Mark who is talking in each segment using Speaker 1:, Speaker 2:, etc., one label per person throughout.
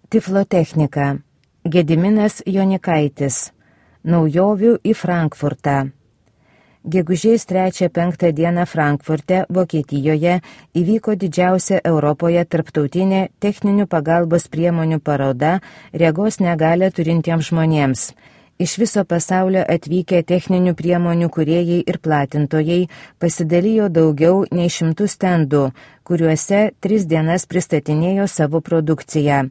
Speaker 1: Tiflotechnika. Gediminas Jonikaitis. Naujovių į Frankfurtą. Gegužės 3-5 dieną Frankfurte, Vokietijoje, įvyko didžiausia Europoje tarptautinė techninių pagalbos priemonių paroda regos negalią turintiems žmonėms. Iš viso pasaulio atvykę techninių priemonių kūrėjai ir platintojai pasidalijo daugiau nei 100 stendų, kuriuose 3 dienas pristatinėjo savo produkciją.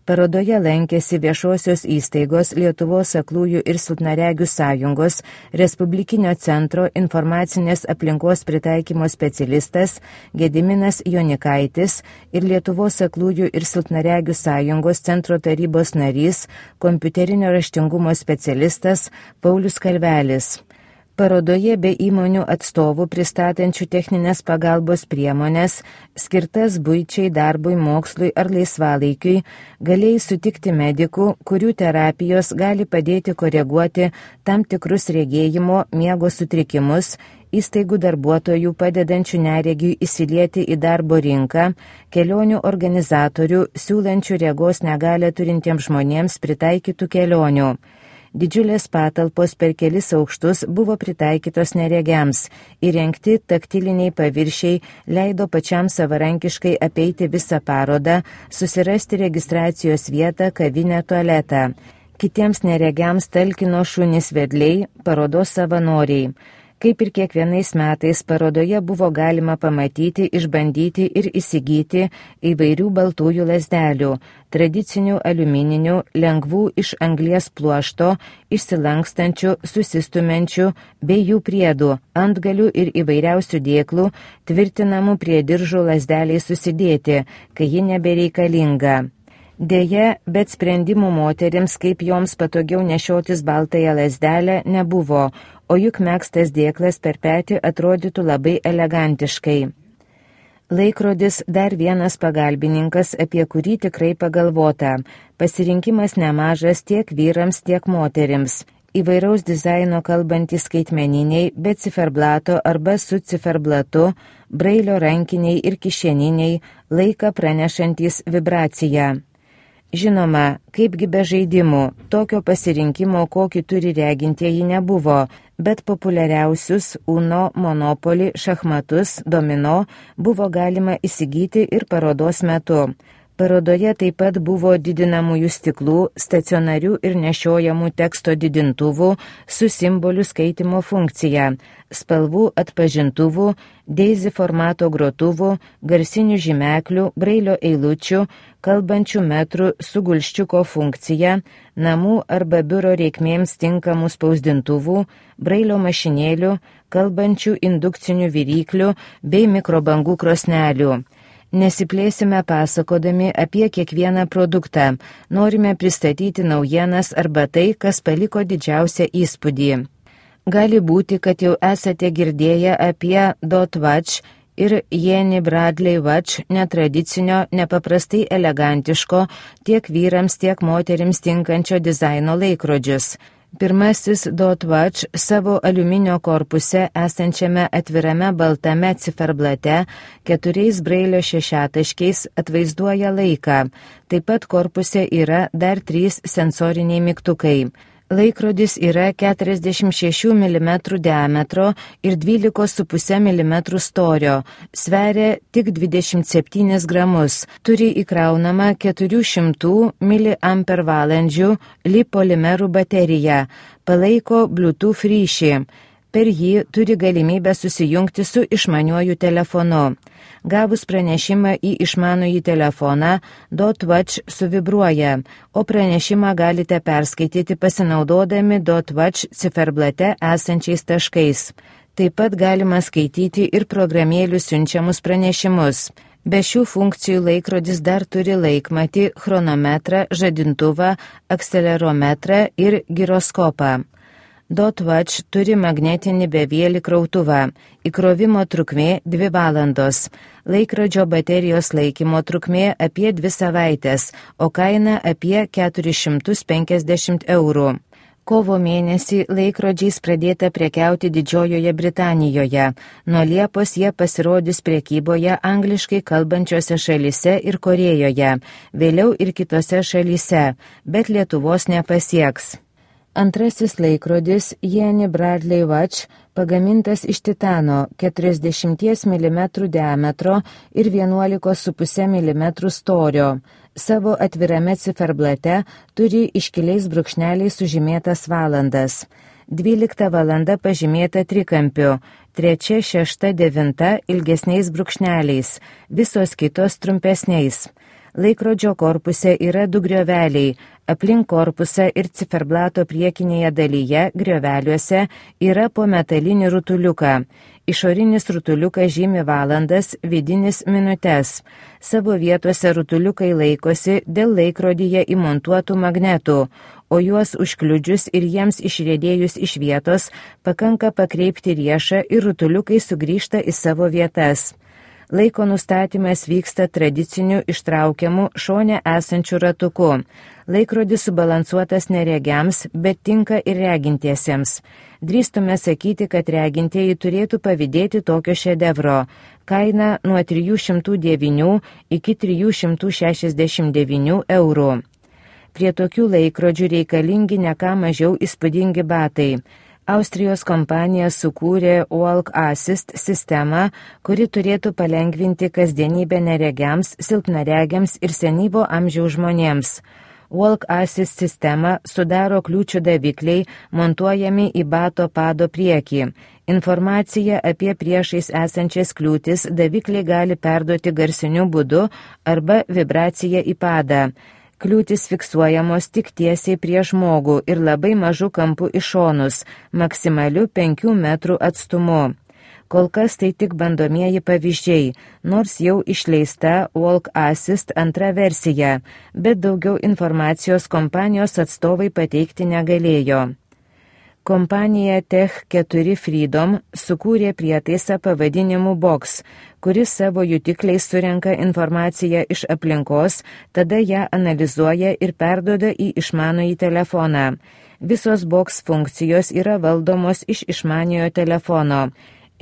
Speaker 1: Parodoje lankėsi viešosios įstaigos Lietuvos aklųjų ir silpnaregių sąjungos, Respublikinio centro informacinės aplinkos pritaikymo specialistas Gediminas Jonikaitis ir Lietuvos aklųjų ir silpnaregių sąjungos centro tarybos narys, kompiuterinio raštingumo specialistas Paulius Kalvelis. Parodoje be įmonių atstovų pristatančių techninės pagalbos priemonės, skirtas buičiai, darbui, mokslui ar laisvalaikiui, galėjai sutikti medikų, kurių terapijos gali padėti koreguoti tam tikrus regėjimo, miego sutrikimus, įstaigų darbuotojų padedančių neregiui įsilieti į darbo rinką, kelionių organizatorių, siūlančių regos negalią turintiems žmonėms pritaikytų kelionių. Didžiulės patalpos per kelis aukštus buvo pritaikytos neregiams, įrengti taktiliniai paviršiai leido pačiam savarankiškai apeiti visą parodą, susirasti registracijos vietą, kavinę, tualetą. Kitiems neregiams talkino šunys vedliai, parodos savanoriai. Kaip ir kiekvienais metais parodoje buvo galima pamatyti, išbandyti ir įsigyti įvairių baltųjų lazdelių, tradicinių aliumininių, lengvų iš anglies pluošto, išsilankstančių, susistumenčių bei jų priedų, antgalių ir įvairiausių dėklų, tvirtinamų prie diržų lazdeliai susidėti, kai ji nebereikalinga. Deja, bet sprendimų moterims, kaip joms patogiau nešiotis baltąją lazdelę, nebuvo, o juk megztas dėklas per petį atrodytų labai elegantiškai. Laikrodis dar vienas pagalbininkas, apie kurį tikrai pagalvota. Pasirinkimas nemažas tiek vyrams, tiek moterims. Įvairaus dizaino kalbantys skaitmeniniai, be ciferblato arba su ciferblatu, brailio rankiniai ir kišeniniai, laiką pranešantys vibraciją. Žinoma, kaipgi be žaidimų, tokio pasirinkimo, kokį turi regintieji, nebuvo, bet populiariausius Uno, Monopoly, šachmatus, domino buvo galima įsigyti ir parodos metu. Parodoje taip pat buvo didinamųjų stiklų, stacionarių ir nešiojamų teksto didintuvų su simbolių skaitimo funkcija, spalvų atpažintuvų, Daisy formato grotuvų, garsinių žymeklių, brailio eilučių, kalbančių metrų su gulščiuko funkcija, namų arba biuro reikmėms tinkamų spausdintuvų, brailio mašinėlių, kalbančių indukcinių viryklių bei mikrobangų krosnelių. Nesiplėsime pasakodami apie kiekvieną produktą, norime pristatyti naujienas arba tai, kas paliko didžiausią įspūdį. Gali būti, kad jau esate girdėję apie Dot Watch ir Jenny Bradley Watch netradicinio, nepaprastai elegantiško, tiek vyrams, tiek moterims tinkančio dizaino laikrodžius. Pirmasis Dot Watch savo aliuminio korpuse esančiame atvirame baltame ciferblate 4 brailio šešiataškiais atvaizduoja laiką. Taip pat korpuse yra dar 3 sensoriniai mygtukai. Laikrodis yra 46 mm diametro ir 12,5 mm storio, sveria tik 27 gramus, turi įkraunamą 400 mAh lipolimerų bateriją, palaiko Bluetooth ryšį. Per jį turi galimybę susijungti su išmaniuoju telefonu. Gavus pranešimą į išmanųjį telefoną, Dot Watch suvibruoja, o pranešimą galite perskaityti pasinaudodami Dot Watch ciferblate esančiais taškais. Taip pat galima skaityti ir programėlių siunčiamus pranešimus. Be šių funkcijų laikrodis dar turi laikmatį, chronometrą, žadintuvą, akcelerometrą ir giroskopą. Dot Watch turi magnetinį bevėlį krautuvą. Įkrovimo trukmė 2 valandos. Laikrodžio baterijos laikymo trukmė apie 2 savaitės, o kaina apie 450 eurų. Kovo mėnesį laikrodžiais pradėta prekiauti Didžiojoje Britanijoje. Nuo Liepos jie pasirodys prekyboje angliškai kalbančiose šalyse ir Korėjoje, vėliau ir kitose šalyse, bet Lietuvos nepasieks. Antrasis laikrodis Jenny Bradley Watch pagamintas iš titano 40 mm diametro ir 11,5 mm storio. Savo atvirame ciferblate turi iškiliais brūkšneliais sužymėtas valandas. 12 valanda pažymėta trikampiu, 3, 6, 9 ilgesniais brūkšneliais, visos kitos trumpesniais. Laikrodžio korpuse yra 2 grioveliai, aplink korpusą ir ciferblato priekinėje dalyje grioveliuose yra po metalinį rutuliuką. Išorinis rutuliukas žymi valandas, vidinis minutes. Savo vietose rutuliukai laikosi dėl laikrodyje įmontuotų magnetų, o juos užkliudžius ir jiems išriedėjus iš vietos pakanka pakreipti riešą ir rutuliukai sugrįžta į savo vietas. Laiko nustatymas vyksta tradiciniu ištraukiamu šone esančiu ratuku. Laikrodis subalansuotas neregiams, bet tinka ir regintiesiems. Drįstume sakyti, kad regintieji turėtų pavydėti tokio šedevro. Kaina nuo 309 iki 369 eurų. Prie tokių laikrodžių reikalingi ne ką mažiau įspūdingi batai. Austrijos kompanija sukūrė Walk Assist sistemą, kuri turėtų palengvinti kasdienybę neregiams, silpnaregiams ir senyvo amžiaus žmonėms. Walk Assist sistemą sudaro kliūčių davikliai, montuojami į bato pado priekį. Informaciją apie priešais esančias kliūtis davikliai gali perduoti garsiniu būdu arba vibracija į padą. Kliūtis fiksuojamos tik tiesiai prie žmogų ir labai mažų kampų į šonus, maksimaliu 5 metrų atstumu. Kol kas tai tik bandomieji pavyzdžiai, nors jau išleista Walk Assist antra versija, bet daugiau informacijos kompanijos atstovai pateikti negalėjo. Kompanija Tech4 Freedom sukūrė prietaisą pavadinimu Box, kuris savo jutikliais surenka informaciją iš aplinkos, tada ją analizuoja ir perduoda į išmanųjį telefoną. Visos Box funkcijos yra valdomos iš išmaniojo telefono.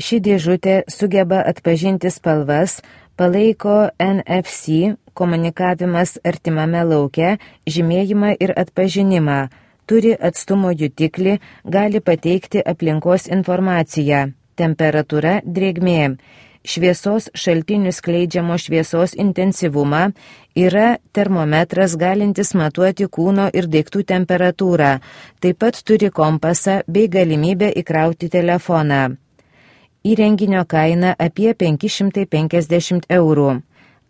Speaker 1: Ši dėžutė sugeba atpažinti spalvas, palaiko NFC, komunikavimas artimame lauke, žymėjimą ir atpažinimą. Turi atstumo jutiklį, gali pateikti aplinkos informaciją, temperatūra, drėgmė, šviesos šaltinių skleidžiamo šviesos intensyvumą, yra termometras galintis matuoti kūno ir daiktų temperatūrą, taip pat turi kompasą bei galimybę įkrauti telefoną. Įrenginio kaina apie 550 eurų.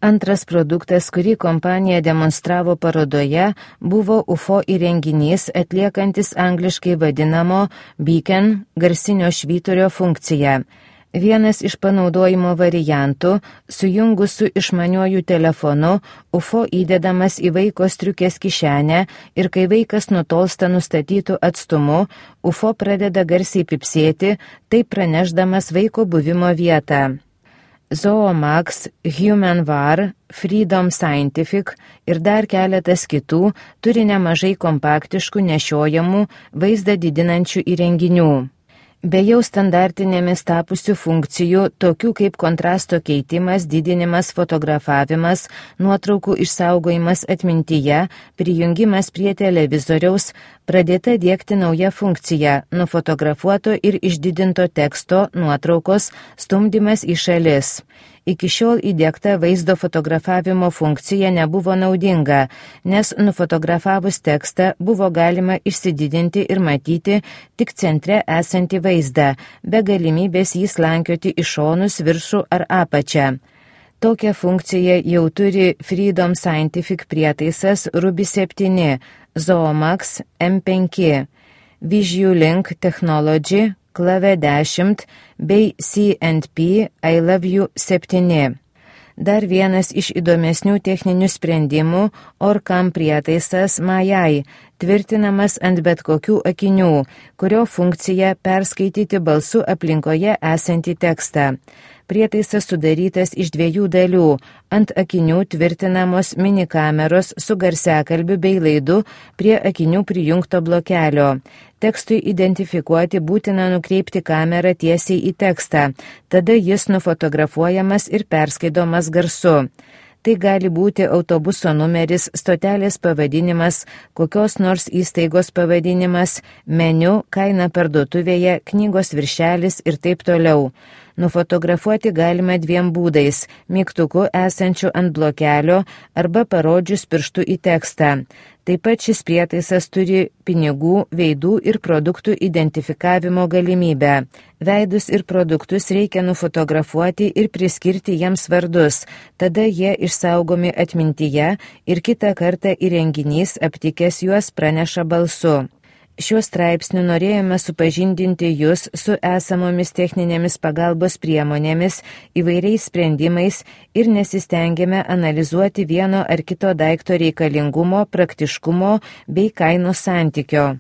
Speaker 1: Antras produktas, kurį kompanija demonstravo parodoje, buvo UFO įrenginys atliekantis angliškai vadinamo beacon garsinio švyturio funkciją. Vienas iš panaudojimo variantų, sujungus su išmaniuoju telefonu, UFO įdedamas į vaiko striukės kišenę ir kai vaikas nutolsta nustatytų atstumu, UFO pradeda garsiai pipsėti, taip pranešdamas vaiko buvimo vietą. Zoomax, HumanVar, Freedom Scientific ir dar keletas kitų turi nemažai kompaktiškų nešiojamų vaizdą didinančių įrenginių. Be jau standartinėmis tapusių funkcijų, tokių kaip kontrasto keitimas, didinimas, fotografavimas, nuotraukų išsaugojimas atmintyje, prijungimas prie televizoriaus, pradėta diegti nauja funkcija – nufotografuoto ir išdidinto teksto, nuotraukos, stumdymas į šalis. Iki šiol įdiegta vaizdo fotografavimo funkcija nebuvo naudinga, nes nufotografavus tekstą buvo galima išsididinti ir matyti tik centre esantį vaizdą, be galimybės jį slankioti į šonus, viršų ar apačią. Tokią funkciją jau turi Freedom Scientific prietaisas Ruby 7, Zoomax M5, VisuLink Technology, Klave 10 bei C&P I Love You 7. Dar vienas iš įdomesnių techninių sprendimų Orcam prietaisas Majai, tvirtinamas ant bet kokių akinių, kurio funkcija perskaityti balsu aplinkoje esantį tekstą. Prietaisas sudarytas iš 2 dalių. Ant akinių tvirtinamos mini kameros su garsiakalbiu bei laidu prie akinių prijungto blokelio. Tekstui identifikuoti būtina nukreipti kamerą tiesiai į tekstą, tada jis nufotografuojamas ir perskaidomas garsu. Tai gali būti autobuso numeris, stotelės pavadinimas, kokios nors įstaigos pavadinimas, meniu, kaina parduotuvėje, knygos viršelis ir taip toliau. Nufotografuoti galima 2 būdais – mygtuku esančiu ant blokelio arba parodžius pirštu į tekstą. Taip pat šis prietaisas turi pinigų, veidų ir produktų identifikavimo galimybę. Veidus ir produktus reikia nufotografuoti ir priskirti jiems vardus, tada jie išsaugomi atmintyje ir kitą kartą įrenginys aptikęs juos praneša balsu. Šiuo straipsniu norėjome supažindinti jūs su esamomis techninėmis pagalbos priemonėmis, įvairiais sprendimais ir nesistengėme analizuoti vieno ar kito daikto reikalingumo, praktiškumo bei kainos santykio.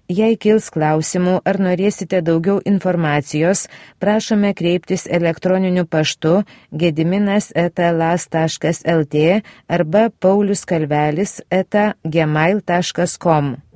Speaker 1: Jei kils klausimų ar norėsite daugiau informacijos, prašome kreiptis elektroniniu paštu gediminas@las.lt arba pauliuskalvelis@gmail.com.